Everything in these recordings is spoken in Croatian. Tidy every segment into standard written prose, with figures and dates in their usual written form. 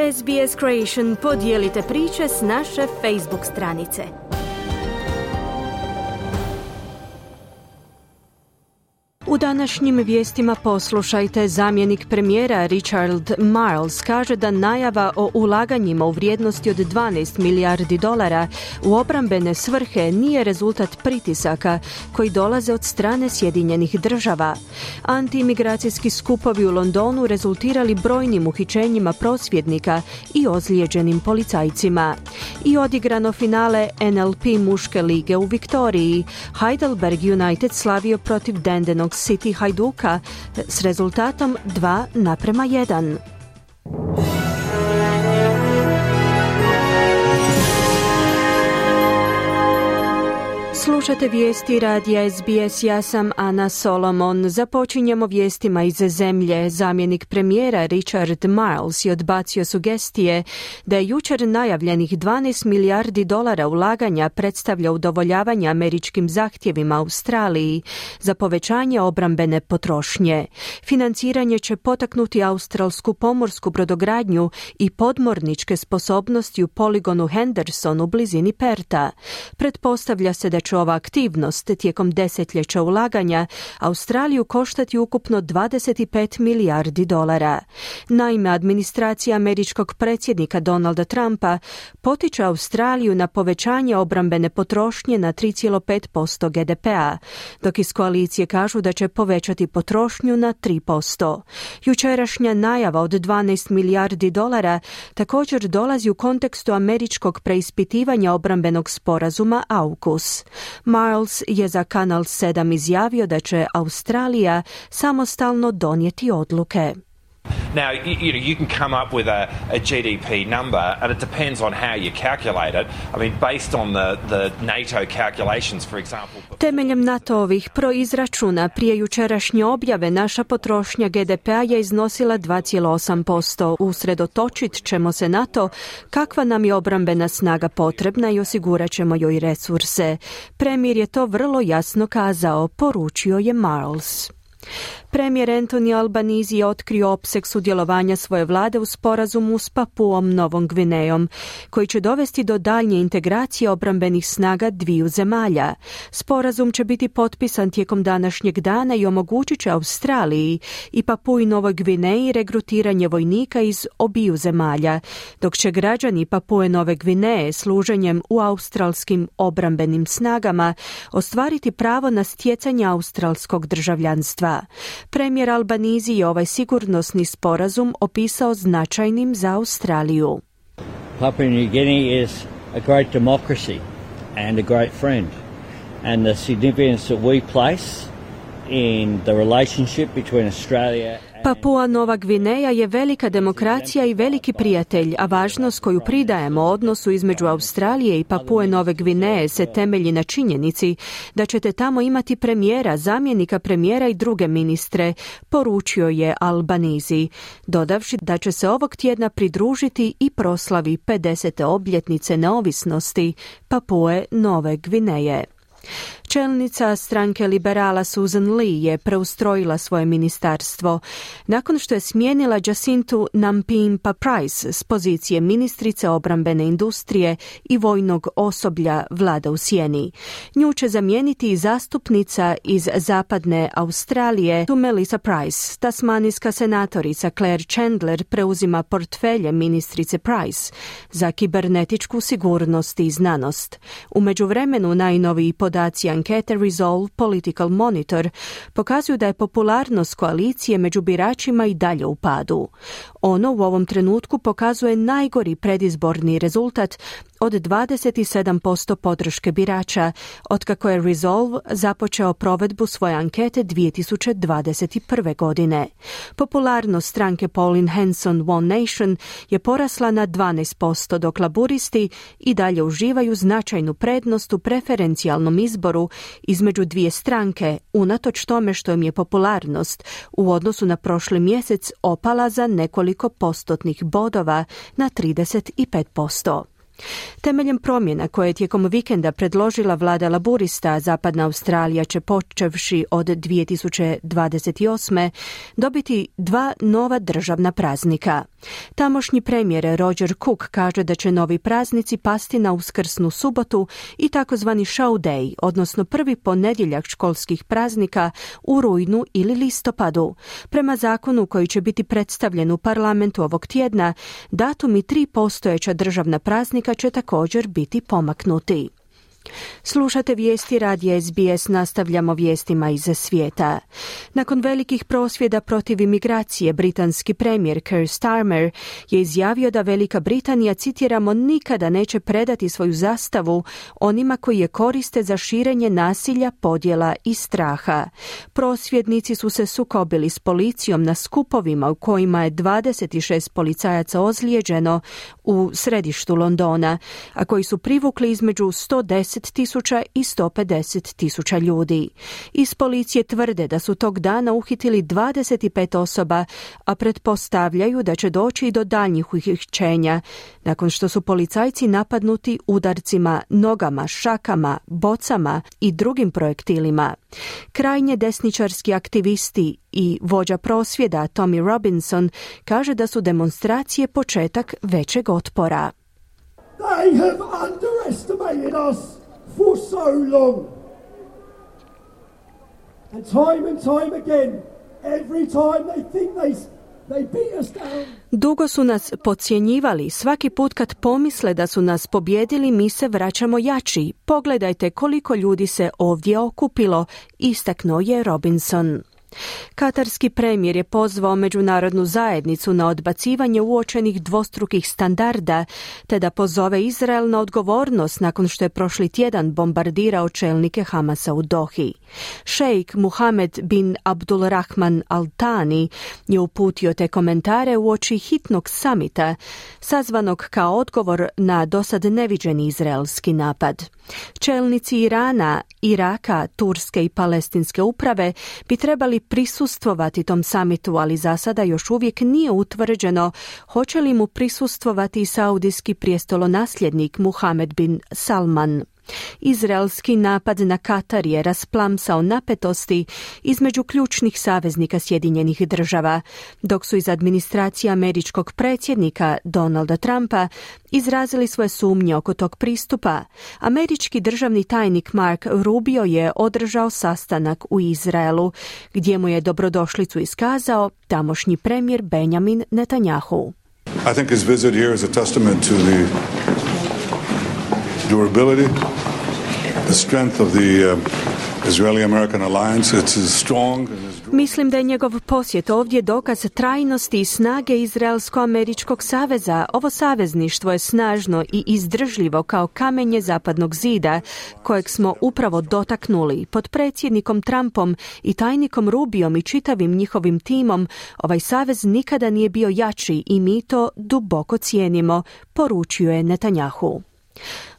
SBS Creation, podijelite priče s naše Facebook stranice. U današnjim vijestima poslušajte, zamjenik premijera Richard Marles kaže da najava o ulaganjima u vrijednosti od $12 milijardi u obrambene svrhe nije rezultat pritisaka koji dolaze od strane Sjedinjenih država. Antiimigracijski skupovi u Londonu rezultirali brojnim uhićenjima prosvjednika i ozlijeđenim policajcima. I odigrano finale NLP muške lige u Viktoriji. Heidelberg United slavio protiv Dandenong City Hajduka s rezultatom 2:1. Slušate vijesti radija SBS, ja sam Ana Solomon. Započinjemo vijestima iz zemlje. Zamjenik premijera Richard Marles je odbacio sugestije da je jučer najavljenih $12 milijardi ulaganja predstavlja udovoljavanje američkim zahtjevima Australiji za povećanje obrambene potrošnje. Financiranje će potaknuti australsku pomorsku brodogradnju i podmorničke sposobnosti u poligonu Henderson u blizini Perta. Pretpostavlja se da će ova aktivnost tijekom desetljeća ulaganja Australiju koštati ukupno $25 milijardi. Naime, administracija američkog predsjednika Donalda Trumpa potiče Australiju na povećanje obrambene potrošnje na 3,5% GDP-a, dok iz koalicije kažu da će povećati potrošnju na 3%. Jučerašnja najava od $12 milijardi također dolazi u kontekstu američkog preispitivanja obrambenog sporazuma AUKUS. Marles je za Kanal 7 izjavio da će Australija samostalno donijeti odluke. Now, you can come up with a GDP number, and it depends on how you calculate it. I mean, based on the NATO calculations, for example. Temeljem NATO-ovih proizračuna prije jučerašnje objave naša potrošnja GDP-a je iznosila 2,8%. Usredotočit ćemo se na to kakva nam je obrambena snaga potrebna i osigurat ćemo joj resurse. Premijer je to vrlo jasno kazao, poručio je Marles. Premijer Anthony Albanese je otkrio opseg sudjelovanja svoje vlade u sporazumu s Papuom Novom Gvinejom, koji će dovesti do daljnje integracije obrambenih snaga dviju zemalja. Sporazum će biti potpisan tijekom današnjeg dana i omogućit će Australiji i Papui Novoj Gvineji regrutiranje vojnika iz obiju zemalja, dok će građani Papue Nove Gvineje služenjem u australskim obrambenim snagama ostvariti pravo na stjecanje australskog državljanstva. Premijer Albanese je ovaj sigurnosni sporazum opisao značajnim za Australiju. Papua New Guinea is a great democracy and a great friend, and the significance that we place in the relationship between Australia. Papua Nova Gvineja je velika demokracija i veliki prijatelj, a važnost koju pridajemo odnosu između Australije i Papue Nove Gvineje se temelji na činjenici da ćete tamo imati premijera, zamjenika premijera i druge ministre, poručio je Albanese, dodavši da će se ovog tjedna pridružiti i proslavi 50. obljetnice neovisnosti Papue Nove Gvineje. Čelnica stranke liberala Susan Lee je preustrojila svoje ministarstvo nakon što je smijenila Jacintu Nampimpa Price s pozicije ministrice obrambene industrije i vojnog osoblja vlada u sjeni. Nju će zamijeniti i zastupnica iz zapadne Australije Melissa Price. Tasmanijska senatorica Claire Chandler preuzima portfelje ministrice Price za kibernetičku sigurnost i znanost. U međuvremenu najnoviji podaci ankete Resolve Political Monitor pokazuju da je popularnost koalicije među biračima i dalje u padu. Ono u ovom trenutku pokazuje najgori predizborni rezultat od 27% podrške birača, otkako je Resolve započeo provedbu svoje ankete 2021. godine. Popularnost stranke Pauline Hanson One Nation je porasla na 12%, dok laburisti i dalje uživaju značajnu prednost u preferencijalnom izboru između dvije stranke, unatoč tome što im je popularnost u odnosu na prošli mjesec opala za nekoliko postotnih bodova na 35%. Temeljem promjena koje je tijekom vikenda predložila vlada Laburista, Zapadna Australija će počevši od 2028. dobiti 2 nova državna praznika. Tamošnji premijer Roger Cook kaže da će novi praznici pasti na Uskrsnu subotu i takozvani show day, odnosno prvi ponedjeljak školskih praznika u rujnu ili listopadu. Prema zakonu koji će biti predstavljen u parlamentu ovog tjedna, datumi 3 postojeća državna praznika će također biti pomaknuti. Slušate vijesti radija SBS, nastavljamo vijestima iz svijeta. Nakon velikih prosvjeda protiv imigracije, britanski premijer Keir Starmer je izjavio da Velika Britanija, citiramo, nikada neće predati svoju zastavu onima koji je koriste za širenje nasilja, podjela i straha. Prosvjednici su se sukobili s policijom na skupovima u kojima je 26 policajaca ozlijeđeno u središtu Londona, a koji su privukli između 110.000 i 150.000 ljudi. Iz policije tvrde da su tog dana uhitili 25 osoba, a pretpostavljaju da će doći i do daljnjih uhićenja, nakon što su policajci napadnuti udarcima, nogama, šakama, bocama i drugim projektilima. Krajnje desničarski aktivisti i vođa prosvjeda Tommy Robinson kaže da su demonstracije početak većeg otpora. They have underestimated us for so long. And time again, every time they think they beat us down. Dugo su nas podcjenjivali. Svaki put kad pomisle da su nas pobjedili, mi se vraćamo jači. Pogledajte koliko ljudi se ovdje okupilo, istaknuo je Robinson. Katarski premijer je pozvao međunarodnu zajednicu na odbacivanje uočenih dvostrukih standarda, te da pozove Izrael na odgovornost nakon što je prošli tjedan bombardirao čelnike Hamasa u Dohi. Šejk Muhamed bin Abdulrahman Al Thani je uputio te komentare uoči hitnog samita, sazvanog kao odgovor na dosad neviđeni izraelski napad. Čelnici Irana, Iraka, Turske i Palestinske uprave bi trebali prisustvovati tom samitu, ali za sada još uvijek nije utvrđeno hoće li mu prisustvovati saudijski prijestolonasljednik Muhamed bin Salman. Izraelski napad na Katar je rasplamsao napetosti između ključnih saveznika Sjedinjenih Država, dok su iz administracije američkog predsjednika Donalda Trumpa izrazili svoje sumnje oko tog pristupa. Američki državni tajnik Mark Rubio je održao sastanak u Izraelu, gdje mu je dobrodošlicu iskazao tamošnji premijer Benjamin Netanyahu. I think his visit here is a testament to the durability, the strength of the Israeli-American alliance. It's as strong and as... Mislim da je njegov posjet ovdje dokaz trajnosti i snage Izraelsko-američkog saveza. Ovo savezništvo je snažno i izdržljivo kao kamenje zapadnog zida, kojeg smo upravo dotaknuli. Pod predsjednikom Trumpom i tajnikom Rubiom i čitavim njihovim timom, ovaj savez nikada nije bio jači i mi to duboko cijenimo, poručio je Netanyahu.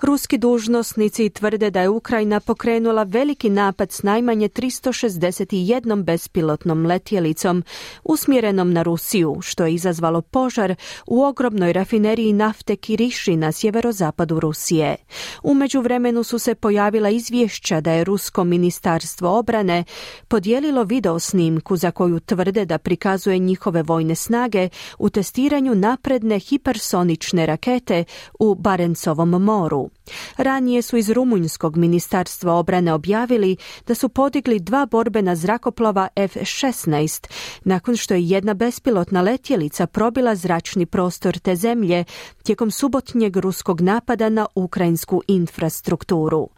Ruski dužnosnici tvrde da je Ukrajina pokrenula veliki napad s najmanje 361 bespilotnom letjelicom usmjerenom na Rusiju, što je izazvalo požar u ogromnoj rafineriji nafte Kiriši na sjeverozapadu Rusije. U međuvremenu su se pojavila izvješća da je Rusko ministarstvo obrane podijelilo video snimku za koju tvrde da prikazuje njihove vojne snage u testiranju napredne hipersonične rakete u Barencovom moru. Ranije su iz Rumunjskog ministarstva obrane objavili da su podigli 2 borbena zrakoplova F-16 nakon što je jedna bespilotna letjelica probila zračni prostor te zemlje tijekom subotnjeg ruskog napada na ukrajinsku infrastrukturu.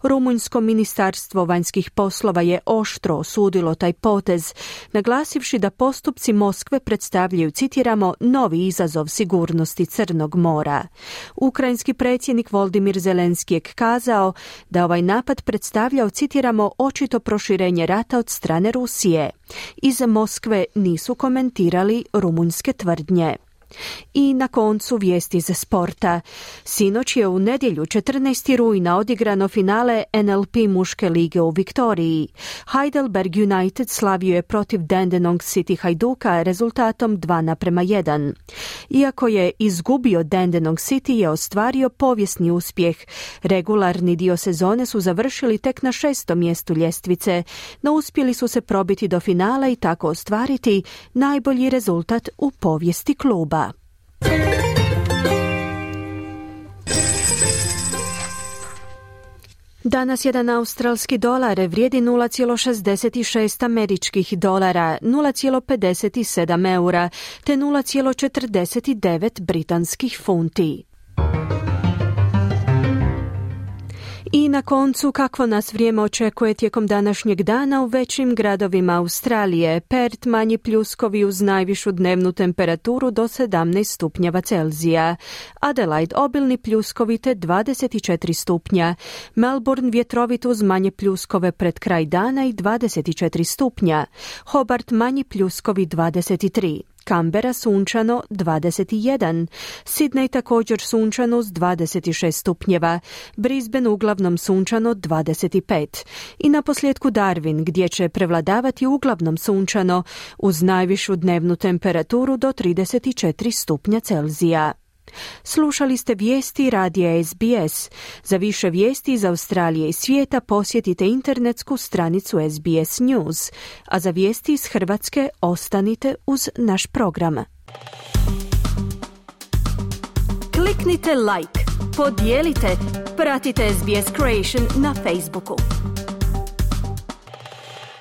Rumunjsko ministarstvo vanjskih poslova je oštro osudilo taj potez, naglasivši da postupci Moskve predstavljaju, citiramo, novi izazov sigurnosti Crnog mora. Ukrajinski predsjednik Volodymyr Zelenski je kazao da ovaj napad predstavljao, citiramo, očito proširenje rata od strane Rusije. Iz Moskve nisu komentirali rumunjske tvrdnje. I na koncu vijesti iz sporta. Sinoć je u nedjelju 14. rujna odigrano finale NLP muške lige u Viktoriji. Heidelberg United slavio je protiv Dandenong City Hajduka rezultatom 2:1. Iako je izgubio, Dandenong City je ostvario povijesni uspjeh. Regularni dio sezone su završili tek na 6. mjestu ljestvice, no uspjeli su se probiti do finala i tako ostvariti najbolji rezultat u povijesti kluba. Danas jedan australski dolar vrijedi 0,66 američkih dolara, 0,57 eura te 0,49 britanskih funti. I na koncu, kakvo nas vrijeme očekuje tijekom današnjeg dana u većim gradovima Australije. Perth manji pljuskovi uz najvišu dnevnu temperaturu do 17 stupnjeva Celzija. Adelaide obilni pljuskovi te 24 stupnja. Melbourne vjetrovit uz manje pljuskove pred kraj dana i 24 stupnja. Hobart manji pljuskovi 23. Canberra sunčano 21, Sydney također sunčano uz 26 stupnjeva, Brisbane uglavnom sunčano 25 i naposljetku Darwin gdje će prevladavati uglavnom sunčano uz najvišu dnevnu temperaturu do 34 stupnja Celzija. Slušali ste vijesti radija SBS. Za više vijesti iz Australije i svijeta posjetite internetsku stranicu SBS News, a za vijesti iz Hrvatske ostanite uz naš program. Kliknite like, podijelite, pratite SBS Creation na Facebooku.